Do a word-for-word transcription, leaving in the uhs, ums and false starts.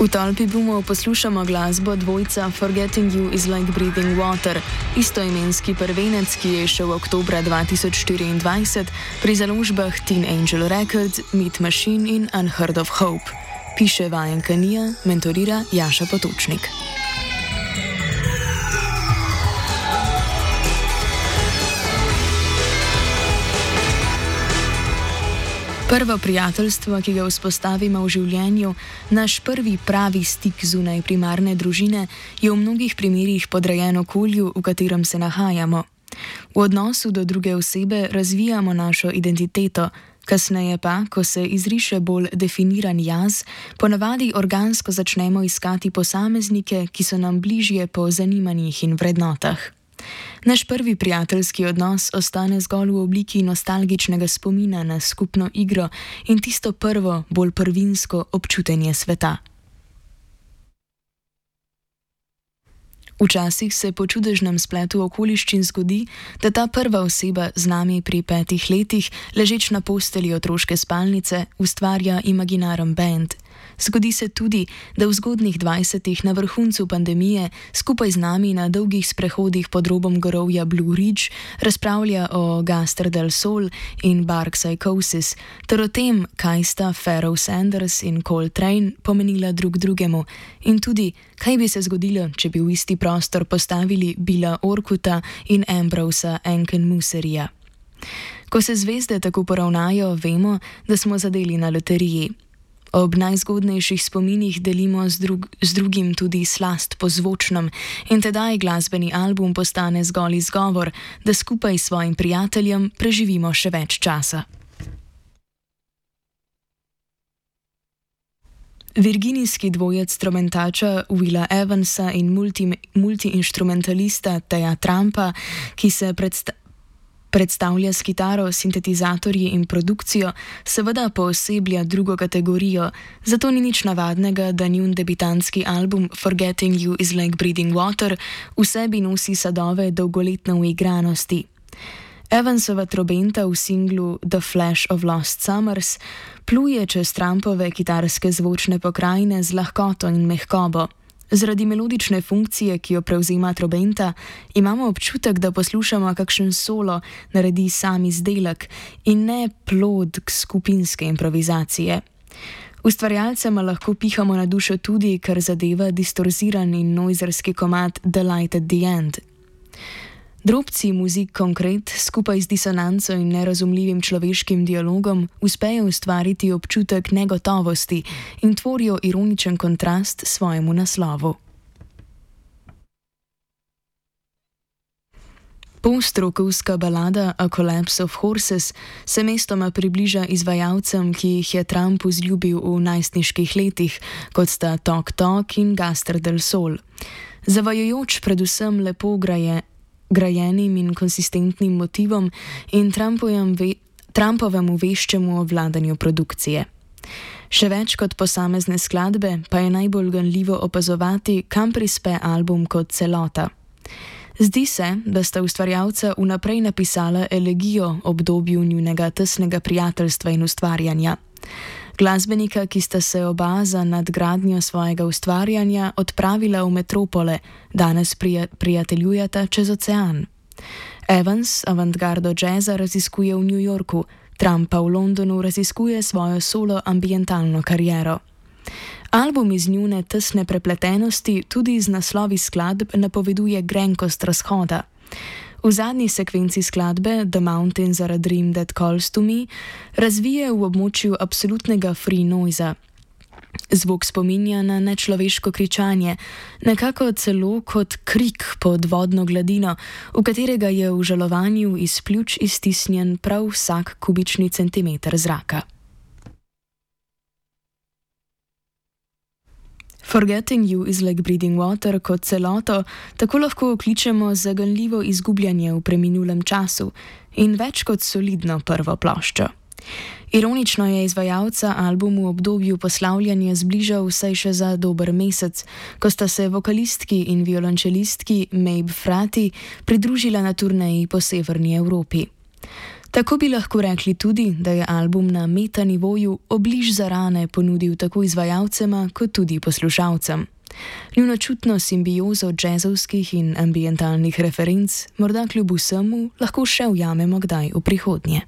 V tolpi boomov poslušamo glasbo dvojca Forgetting You is Like Breathing Water, istoimenski prvenec, ki je šel oktobra dva tisoč štiriindvajset pri založbah Teen Angel Records, Meat Machine in Unheard of Hope. Piše vajenka Nija, mentorira Jaša Potočnik. Prvo prijateljstvo, ki ga vzpostavimo v življenju, naš prvi pravi stik zunaj primarne družine, je v mnogih primerih podrejen okolju, v katerem se nahajamo. V odnosu do druge osebe razvijamo našo identiteto, kasneje pa, ko se izriše bolj definiran jaz, ponavadi organsko začnemo iskati posameznike, ki so nam bližje po zanimanjih in vrednotah. Naš prvi prijateljski odnos ostane zgolj v obliki nostalgičnega spomina na skupno igro in tisto prvo, bolj prvinsko občutenje sveta. Včasih se po čudežnem spletu okoliščin zgodi, da ta prva oseba z nami pri petih letih, ležeč na postelji otroške spalnice, ustvarja imaginaren bend. Zgodi se tudi, da v zgodnjih dvajsetih na vrhuncu pandemije skupaj z nami na dolgih sprehodih pod robom gorovja Blue Ridge razpravlja o Gaster del Sol in Bark Psychosis, ter o tem, kaj sta Pharoah Sanders in Coltrane pomenila drug drugemu in tudi, kaj bi se zgodilo, če bi v isti prostor postavili Billa Orkuta in Ambrosa Enkenmuserija. Ko se zvezde tako poravnajo, vemo, da smo zadeli na loteriji. Ob najzgodnejših spominih delimo z, drug, z drugim tudi slast po zvočnem in tedaj glasbeni album postane zgolj izgovor, da skupaj s svojim prijateljem preživimo še več časa. Virginijski dvojec tromentača Willa Evansa in multi, multiinstrumentalista Teja Trumpa, ki se predstavlja Predstavlja s kitaro, sintetizatorji in produkcijo, seveda pooseblja drugo kategorijo, zato ni nič navadnega, da njun debitantski album Forgetting You is Like Breathing Water v sebi nosi sadove dolgoletne uigranosti. Evansova trobenta v singlu The Flash of Lost Summers pluje čez Trumpove kitarske zvočne pokrajine z lahkoto in mehkobo. Zaradi melodične funkcije, ki jo prevzema trobenta, imamo občutek, da poslušamo kakšen solo naredi sam izdelek in ne plod skupinske improvizacije. Ustvarjalcema lahko pihamo na dušo tudi, kar zadeva distorziran in noizerski komad The Light at the End. Drobci muzik konkret skupaj z disonanco in nerazumljivim človeškim dialogom uspejo ustvariti občutek negotovosti in tvorijo ironičen kontrast svojemu naslovu. Post-rokovska balada A Collapse of Horses se mestoma približa izvajalcem, ki jih je Trump vzljubil v najstniških letih, kot sta Tok Tok in Gaster del Sol. Zavajajoč predvsem lepo graje grajenim in konsistentnim motivom in ve, Trumpovemu veščemu obvladanju produkcije. Še več kot posamezne skladbe pa je najbolj ganljivo opazovati, kam prispe album kot celota. Zdi se, da sta ustvarjalca vnaprej napisala elegijo obdobju njunega tesnega prijateljstva in ustvarjanja. Glasbenika, ki sta se oba za nadgradnjo svojega ustvarjanja odpravila v metropole, danes prija, prijateljujeta čez ocean. Evans avantgardo jazza raziskuje v New Yorku, Trump pa v Londonu raziskuje svojo solo ambientalno kariero. Album iz njune tesne prepletenosti tudi z naslovi skladb napoveduje grenkost razhoda. V zadnji sekvenci skladbe The Mountains are a Dream That Calls to Me razvije v območju absolutnega free noisa. Zvok spominja na nečloveško kričanje, nekako celo kot krik pod vodno gladino, v katerega je v žalovanju iz pljuč iztisnjen prav vsak kubični centimeter zraka. Forgetting You is Like Breathing Water kot celoto tako lahko okličemo zaganljivo izgubljanje v preminulem času in več kot solidno prvo ploščo. Ironično je izvajalca albumu v obdobju poslavljanja zbližal vsaj še za dober mesec, ko sta se vokalistki in violončelistki Maeve Frati pridružila na turneji po severni Evropi. Tako bi lahko rekli tudi, da je album na metanivoju obliž za rane ponudil tako izvajalcema kot tudi poslušalcem. Njuno čutno simbiozo džezovskih in ambientalnih referenc morda kljub vsemu lahko še ujamemo kdaj v prihodnje.